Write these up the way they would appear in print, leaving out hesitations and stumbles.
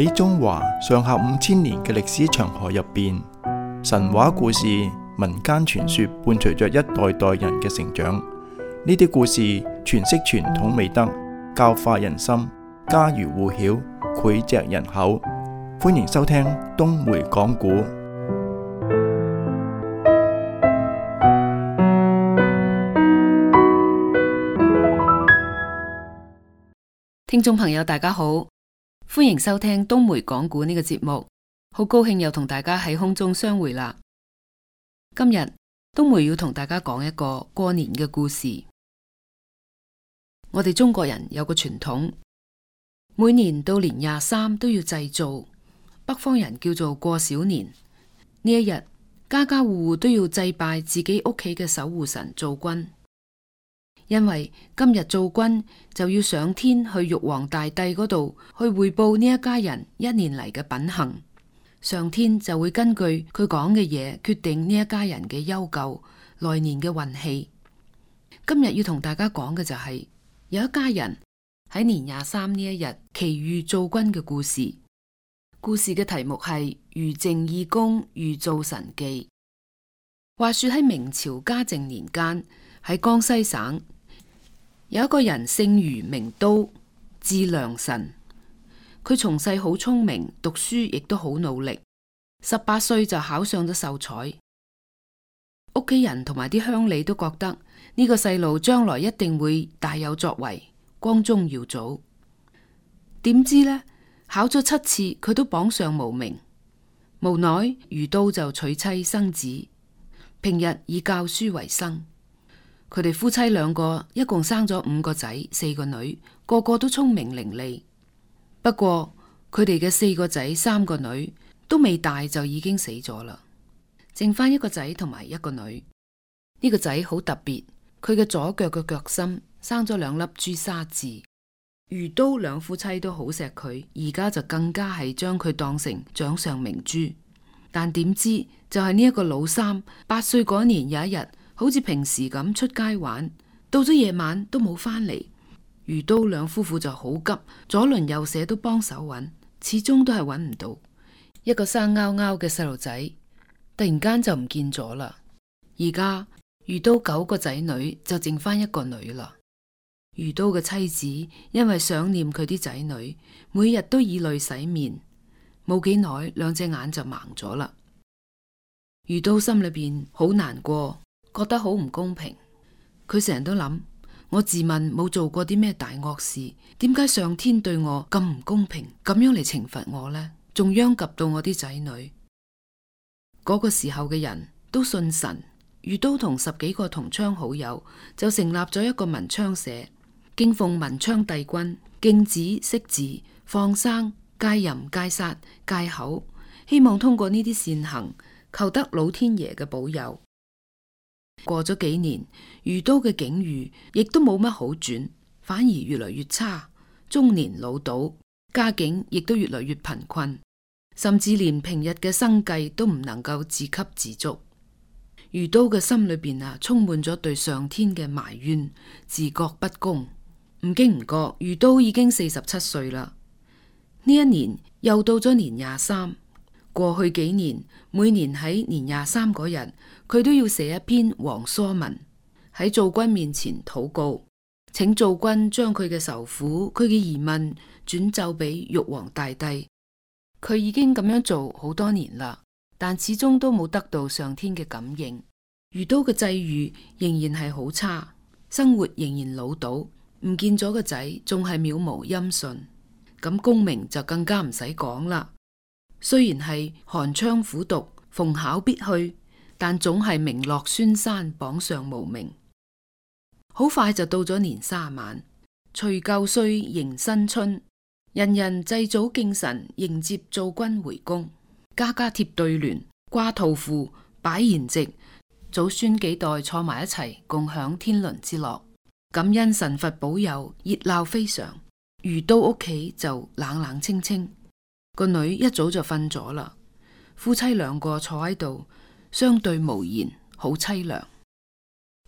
喺中華上下5000年嘅歷史長河入邊，神話故事、民間傳說伴隨着一代代人嘅成長。呢啲故事詮釋傳統美德，教化人心，家喻戶曉，膾炙人口。歡迎收聽東梅講古。聽眾朋友大家好，歡迎收聽東梅講古呢個節目，好高興又同大家喺空中相會啦。今日東梅要同大家講一個過年嘅故事。我哋中國人有個傳統，每年到年23都要祭灶，北方人叫做過小年。呢一日，家家戶戶都要祭拜自己屋企嘅守護神灶君。因為今日灶君就要上天去玉皇大帝嗰度去匯報呢一家人一年嚟嘅品行，上天就會根據佢講嘅嘢決定呢一家人嘅憂舊，來年嘅運氣。今日要同大家講嘅就係有一家人喺年23呢一日祈遇灶君嘅故事。故事嘅題目係余淨義公遇灶神記。話說喺明朝嘉靖年間，喺江西省有一個人姓余名都，字良臣。佢從細好聰明，讀書亦都好努力，18歲就考上咗秀才。屋企人同埋啲鄉里都覺得呢個細路將來一定會大有作為，光宗耀祖。點知呢，考咗7次佢都榜上無名。無奈余都就娶妻生子，平日以教書為生。佢哋夫妻2個一共生咗5個仔4個女，個個都聰明伶俐。不過佢哋嘅4個仔3個女都未大就已經死咗啦，剩翻1個仔同埋1個女。呢個仔好特別，佢嘅左腳嘅腳心生咗2粒朱砂痣。余都2夫妻都好錫佢，而家就更加係將佢當成掌上明珠。但點知就係呢一個老三8歲嗰年有一日，好似平時咁出街玩，到咗夜晚都冇返嚟。余都2夫婦就好急，左鄰右舍都幫手揾，始終都係揾唔到。一個生勾勾嘅細路仔突然間就唔見咗啦。而家余都9個仔女就剩翻1個女啦。余都嘅妻子因為想念佢啲仔女，每日都以淚洗面，冇幾耐2隻眼就盲咗啦。余都心裏邊好難過，覺得好唔公平。佢成日都諗，我自問冇做過啲咩大惡事，點解上天對我咁唔公平，咁樣嚟懲罰我呢？仲殃及到我啲仔女。嗰個時候嘅人都信神，余都同10幾個同窗好友就成立咗一個文昌社，敬奉文昌帝君，敬子惜字，放生、戒淫、戒殺、戒口，希望通過呢啲善行求得老天爺嘅保佑。過咗幾年，余都嘅境遇亦都冇乜好轉，反而越嚟越差，中年老倒，家境亦都越嚟越貧困，甚至連平日嘅生計都唔能夠自給自足。余都嘅心裏邊充滿咗對上天嘅埋怨，自覺不公。唔經唔覺，余都已經47歲啦。呢一年又到咗年23。過去幾年，每年喺年23嗰日，佢都要寫一篇黃疏文，喺灶君面前禱告，請灶君將佢嘅愁苦、佢嘅疑問轉奏俾玉皇大帝。佢已經咁樣做好多年啦，但始終都冇得到上天嘅感應。余都嘅際遇仍然係好差，生活仍然潦倒，唔見咗個仔，仲係渺無音訊。咁功名就更加唔使講啦。雖然係寒窗苦讀，逢考必去，但總係名落孫山，榜上無名。好快就到咗年30晚，除舊歲迎新春，人人祭祖敬神，迎接灶君回宮。家家貼對聯，掛桃符，擺筵席，祖孫幾代坐埋一齊，共享天倫之樂。感恩神佛保佑，熱鬧非常。余都屋企就冷冷清清。個女一早就瞓咗啦，夫妻2個坐喺度相對無言，好淒涼。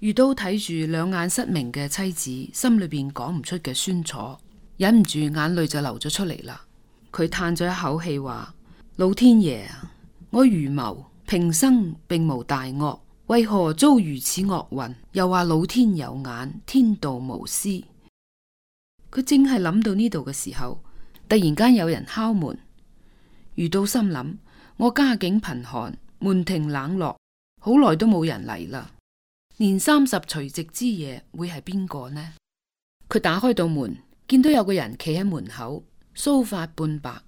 余都睇住2眼失明嘅妻子，心裏邊講唔出嘅酸楚，忍唔住眼淚就流咗出嚟啦。佢嘆咗一口氣話：老天爺啊，我愚謀，平生並無大惡，為何遭如此惡運？又話老天有眼，天道無私。佢正係諗到呢度嘅時候，突然間有人敲門。余都心諗：我家境貧寒，門庭冷落，好耐都冇人嚟啦。年30除夕之夜會係邊個呢？佢打開道門，見到有個人企喺門口，鬚髮半白，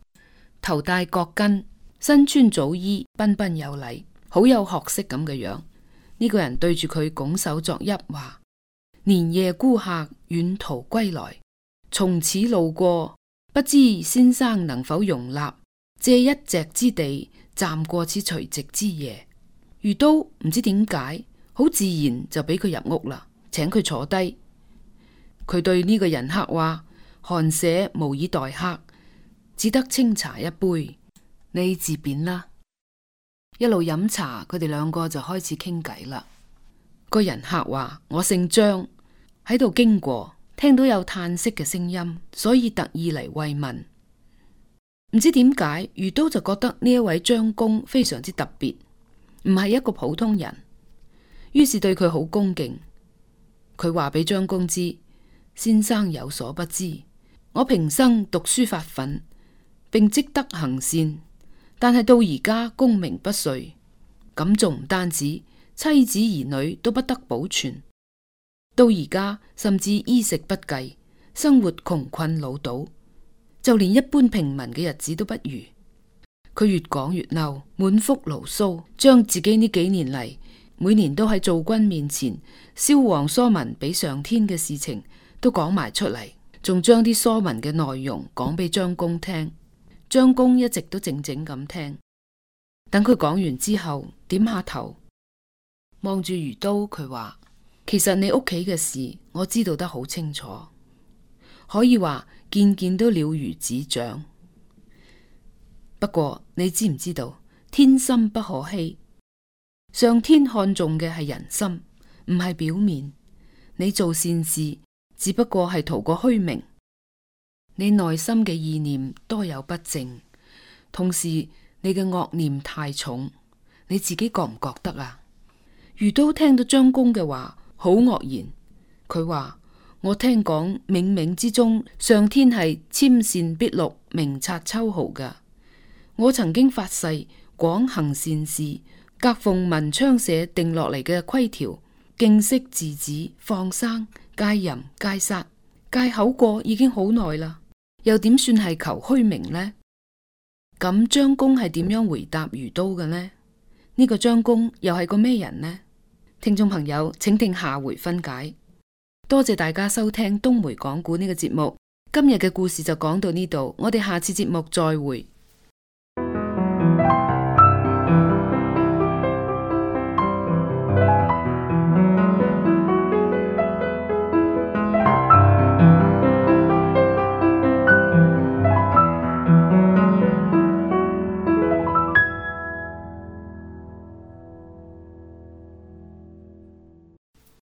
頭戴角巾，身穿早衣，彬彬有禮，好有學識咁嘅樣。呢個人對住佢拱手作揖，話：年夜孤客遠途歸來，從此路過，不知先生能否容納，借一席之地，暫過此除夕之夜。余都唔知點解，好自然就俾佢入屋啦，請佢坐低。佢對呢個人客話：寒舍無以待客，只得清茶一杯，你自便啦。一路飲茶，佢哋兩個就開始傾偈啦。個人客話：我姓張，喺度經過，聽到有嘆息嘅聲音，所以特意嚟慰問。唔知點解，余都就覺得呢一位張公非常之特別，唔係一個普通人，於是對佢好恭敬。佢話俾張公知：先生有所不知，我平生讀書發奮，並積德行善，但係到而家功名不遂，咁仲唔單止，妻子兒女都不得保存，到而家甚至衣食不繼，生活窮困潦倒，就連一般平民嘅日子都不如。佢越講越嬲，滿腹牢騷，將自己呢幾年嚟每年都喺灶君面前燒黃疏文俾上天嘅事情都講埋出嚟，仲將啲疏文嘅內容講俾張公聽。張公一直都靜靜咁聽，等佢講完之後，點下頭望住余都，佢話：其實你屋企嘅事我知道得好清楚，可以話件件都了如指掌。不過你知唔知道，天心不可欺，上天看重嘅係人心，唔係表面。你做善事只不過係圖個虛名，你內心嘅意念多有不正，同時你嘅惡念太重，你自己覺唔覺得啊？余都聽到張公嘅話好愕然，佢話：我聽講冥冥之中上天係纖善碧綠，明察秋毫噶。我曾經發誓廣行善事，格奉文昌社定落嚟嘅規條，敬惜稚子，放生，戒淫，戒殺，戒口過已經好耐啦，又點算係求虛名呢？咁張公係點樣回答余都嘅呢？呢個張公又係個咩人呢？聽眾朋友，請聽下回分解。多謝大家收聽東梅講故呢個節目，今日嘅故事就講到呢度，我哋下次節目再會。